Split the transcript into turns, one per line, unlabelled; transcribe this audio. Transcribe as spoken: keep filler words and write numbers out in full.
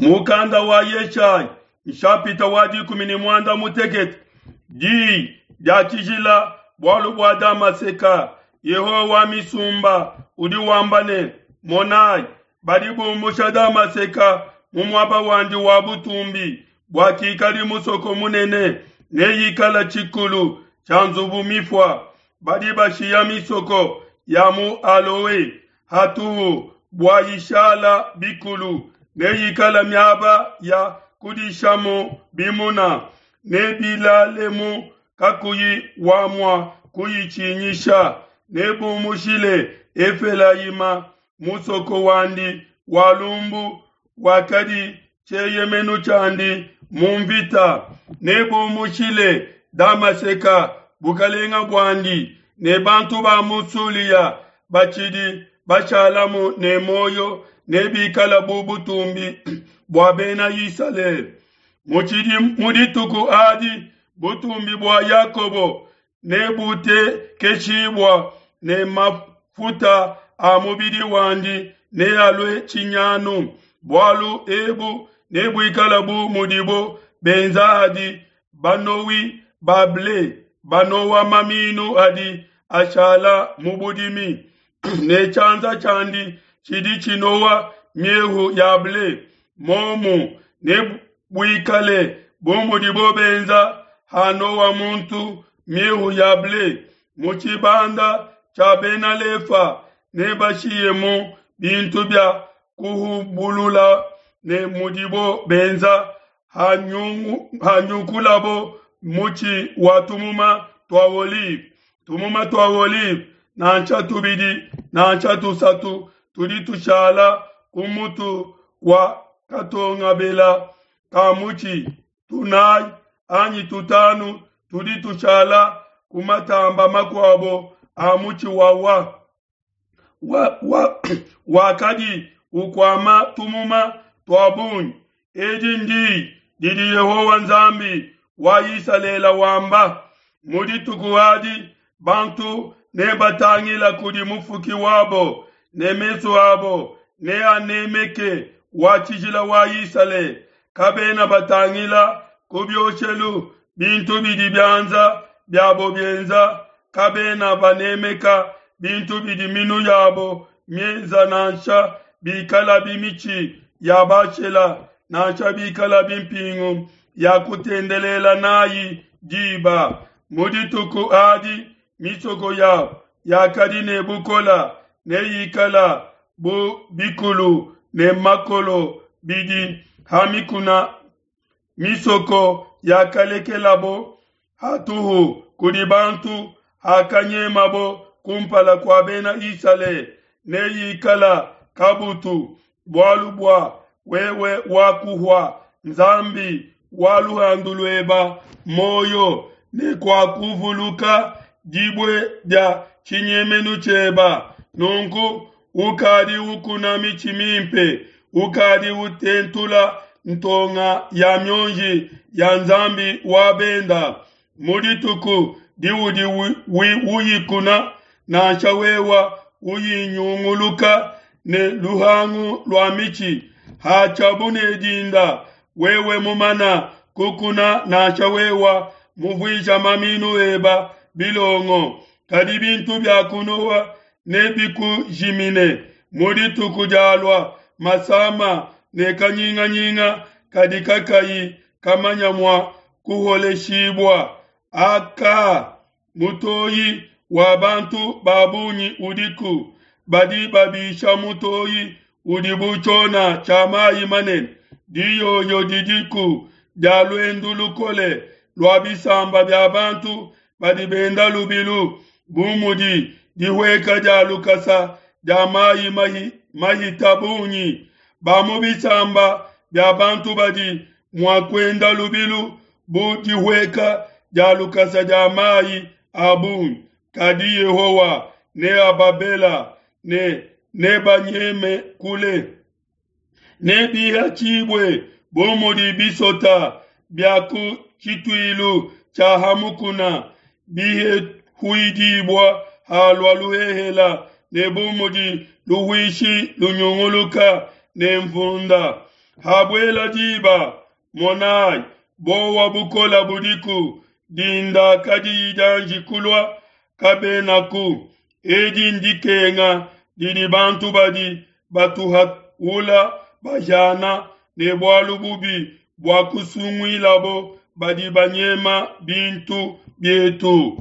Mukanda wa Yeshaya nshapita wa dikumi ne muanda mutekete diyi dia tshijila bualu bua Damaseka. Yehowa wa misumba udi wamba ne, Monai, badi bumbusha Damaseka mu muaba wandi wa butumbi, bua kikadi musoko munene, neyikala tshikulu tshia nzubu mifua. Badi bashiya misoko ya mu Aloe hatuhu bua ishala bikulu, neyikala miaba ya kudishamu bimuna, nebilalemu kakuyi wamua kuyitshinyisha. Nebumushile Efelayima musoko wandi wa lumbu, wakadi tshieyemenu tshiandi mu nvita. Nebumushile Damaseka bukalenga buandi, ne bantu ba mu Sulia batshidi bashalamu ne muoyo nebikala bu butumbi bua Bena Isalele. Mu dituku adi butumbi bua Yakobo nebutekeshibua, ne mafuta a mubidi wandi nealue tshinyanu. Bualu ebu nebuikala bu mudibo benza hadi banowi ba ble banowa maminu adi ashala mu budimi, ne tshianza tshiandi tshidi tshinowa miehu ya ble. Momu nebuikale bu mudibo benza hanowa muntu miehu ya ble mu tshibanda tshia Bena Lefa, nebashiyemu bintu bia kuhubulula, ne mudibo benza hanyukulabo mutshi wa tumuma tua olive. Tumuma tua olive nansha tubidi nansha tusatu tudi tushala ku mutu wa katongabela ka mutshi, tunayi anyi tutanu tudi tushala ku matamba makuabo a mutshi wawa wa, wa, wakadi ukwama tumuma tua bungi. Edi ndi didi Yehowa Nzambi wa Isalele wamba. Mu dituku adi bantu nebatangila kudi mufuki wabo, ne mesu abo neanemeke wa tshijila wa Isalele. Kabena batangila ku bioshelu bintu bidi bianza biabo bienza, kabena banemeka bintu bidi minu yabo mienza, nansha bikala bimitshi ya bashela, nansha bikala bimpingu ya kutendelela nayi diba. Mu dituku adi misoko yabo yakadi ne bukola neyikala bu bikulu ne makolo bidi ha mikuna. Misoko yakalekelabo hatuhu kudi bantu hakanyemabo kumpala kua Bena Isalele neyikala kabutu, bualu bua wewe wakuhua Nzambi wa luhandu lueba moyo, ne kuakuvuluka dibue dia tshinyemenu tshieba. Nunku ukadi ukuna mitshi mimpe, ukadi utentula ntonga ya mionji ya Nzambi wa benda. Mu dituku diudi uyikuna, nansha wewa uyinyunguluka ne luhangu lua mitshi, hatshiabu ne dinda wewe mumana kukuna, nansha wewa muvuija maminu eba bilongo, kadi bintu bia kunowa nebikujimine. Mu dituku dialua masama ne kanyinganyinga kadi kakayi kamanya mua kuholeshibua. Aka mutoyi wa bantu ba bungi udiku, badi babisha mutoyi udi bu tshiona tshia mayi manene. Diyoyo didiku dia luendu lukole lua bisamba bia bantu badi benda lubilu, bu mudi dihueka dia lukasa dia mayi mahi, mahita bungi. Ba mu bisamba bia bantu badi mua kuenda lubilu bu dihueka dia lukasa dia mayi a bungi, kadi Yehowa neababela ne nebanyeme kule. Nebihatshibue bu mudi bisota bia ku tshituilu tshia ha mukuna bihehuidibua halua luhehela, ne bu mudi luhuishi lunyunguluka ne nvunda. Habuela diba, monai, buowa bukole budiku, dinda kadiyi dianji kulua, kabenaku. Edi ndikenga didi bantu badi batuhaula bahiana, ne bualu bubi buakusunguilabo badi banyema bintu bietu.